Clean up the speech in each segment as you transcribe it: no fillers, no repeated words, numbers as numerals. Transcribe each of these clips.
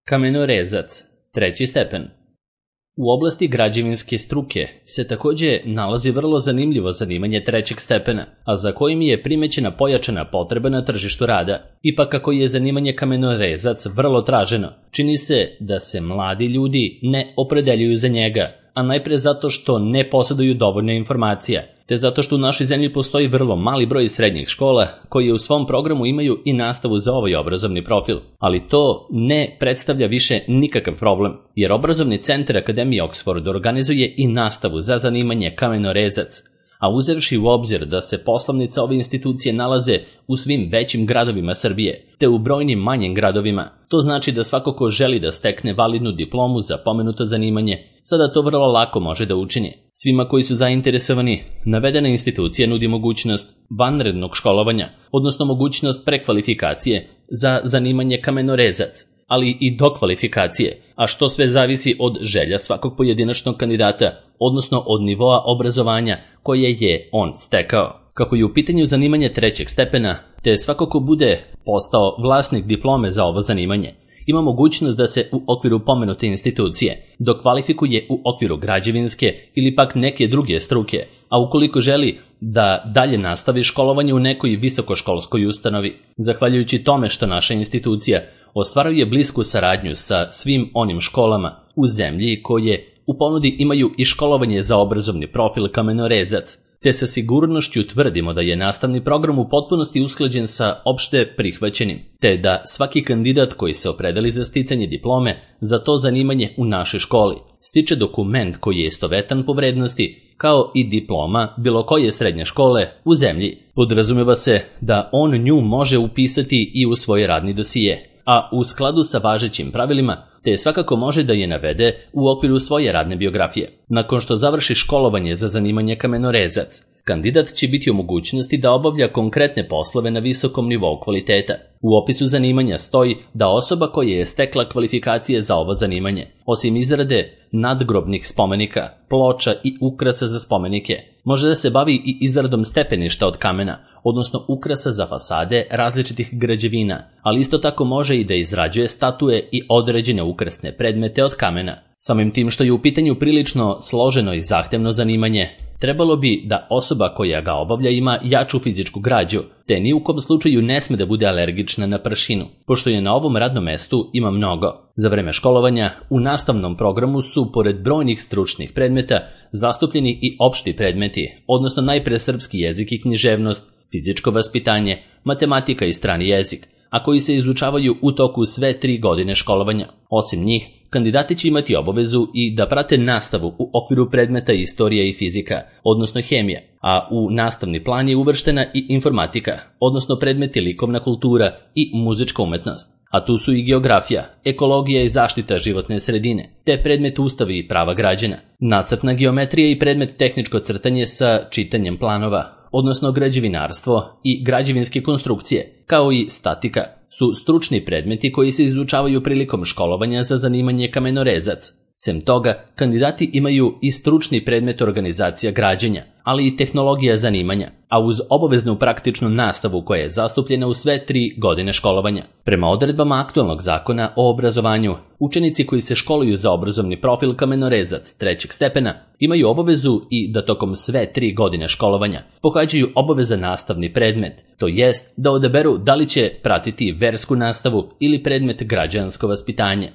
Kamenorezac, treći stepen. U oblasti građevinske struke se takođe nalazi vrlo zanimljivo zanimanje trećeg stepena, a za kojim je primećena pojačana potreba na tržištu rada. Ipak kako je zanimanje kamenorezac vrlo traženo, čini se da se mladi ljudi ne opredeljuju za njega, a najpre zato što ne poseduju dovoljno informacija, te zato što u našoj zemlji postoji vrlo mali broj srednjih škola koje u svom programu imaju i nastavu za ovaj obrazovni profil. Ali to ne predstavlja više nikakav problem, jer obrazovni centar Akademije Oxford organizuje i nastavu za zanimanje kamenorezac, a uzevši u obzir da se poslovnice ove institucije nalaze u svim većim gradovima Srbije, te u brojnim manjim gradovima, to znači da svako ko želi da stekne validnu diplomu za pomenuto zanimanje, sada to vrlo lako može da učini. Svima koji su zainteresovani, navedena institucija nudi mogućnost vanrednog školovanja, odnosno mogućnost prekvalifikacije za zanimanje kamenorezac, ali i dokvalifikacije, a što sve zavisi od želja svakog pojedinačnog kandidata, odnosno od nivoa obrazovanja koje je on stekao. Kako je u pitanju zanimanje trećeg stepena, te svako ko bude postao vlasnik diplome za ovo zanimanje, ima mogućnost da se u okviru pomenute institucije dokvalifikuje u okviru građevinske ili pak neke druge struke, a ukoliko želi da dalje nastavi školovanje u nekoj visokoškolskoj ustanovi. Zahvaljujući tome što naša institucija ostvaruje blisku saradnju sa svim onim školama u zemlji koje u ponudi imaju i školovanje za obrazovni profil kamenorezac, te sa sigurnošću tvrdimo da je nastavni program u potpunosti usklađen sa opšte prihvaćenim, te da svaki kandidat koji se opredeli za sticanje diplome za to zanimanje u našoj školi stiče dokument koji je istovetan po vrednosti kao i diploma bilo koje srednje škole u zemlji. Podrazumeva se da on nju može upisati i u svoj radni dosije, a u skladu sa važećim pravilima, te svakako može da je navede u okviru svoje radne biografije. Nakon što završi školovanje za zanimanje kamenorezac, kandidat će biti u mogućnosti da obavlja konkretne poslove na visokom nivou kvaliteta. U opisu zanimanja stoji da osoba koja je stekla kvalifikacije za ovo zanimanje, osim izrade nadgrobnih spomenika, ploča i ukrasa za spomenike, može da se bavi i izradom stepeništa od kamena, odnosno ukrasa za fasade različitih građevina, ali isto tako može i da izrađuje statue i određene ukrasne predmete od kamena. Samim tim što je u pitanju prilično složeno i zahtevno zanimanje, trebalo bi da osoba koja ga obavlja ima jaču fizičku građu, te ni u kom slučaju ne sme da bude alergična na pršinu, pošto je na ovom radnom mestu ima mnogo. Za vreme školovanja u nastavnom programu su, pored brojnih stručnih predmeta, zastupljeni i opšti predmeti, odnosno najpre srpski jezik i književnost, fizičko vaspitanje, matematika i strani jezik, a koji se izučavaju u toku sve 3 godine školovanja. Osim njih, kandidati će imati obavezu i da prate nastavu u okviru predmeta istorija i fizika, odnosno hemija, a u nastavni plan je uvrštena i informatika, odnosno predmeti likovna kultura i muzička umetnost. A tu su i geografija, ekologija i zaštita životne sredine, te predmet ustavi i prava građana, nacrtna geometrija i predmet tehničko crtanje sa čitanjem planova, odnosno građevinarstvo i građevinske konstrukcije, kao i statika, su stručni predmeti koji se izučavaju prilikom školovanja za zanimanje kamenorezac. Sem toga, kandidati imaju i stručni predmet organizacija građenja, ali i tehnologija zanimanja, a uz obaveznu praktičnu nastavu koja je zastupljena u sve 3 godine školovanja. Prema odredbama aktualnog zakona o obrazovanju, učenici koji se školuju za obrazovni profil kamenorezac trećeg stepena imaju obavezu i da tokom sve 3 godine školovanja pohađaju obavezan nastavni predmet, to jest da odaberu da li će pratiti versku nastavu ili predmet građansko vaspitanje.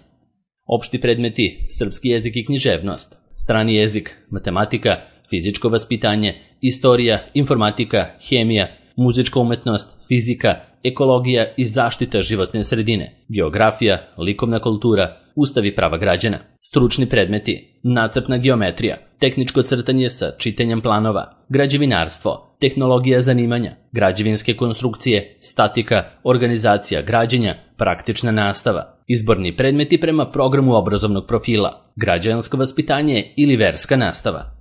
Opšti predmeti, srpski jezik i književnost, strani jezik, matematika, fizičko vaspitanje, istorija, informatika, hemija, muzička umetnost, fizika, ekologija i zaštita životne sredine, geografija, likovna kultura, ustav i prava građana. Stručni predmeti, nacrtna geometrija, tehničko crtanje sa čitanjem planova, građevinarstvo, tehnologija zanimanja, građevinske konstrukcije, statika, organizacija građenja, praktična nastava. Izborni predmeti prema programu obrazovnog profila, građansko vaspitanje ili verska nastava.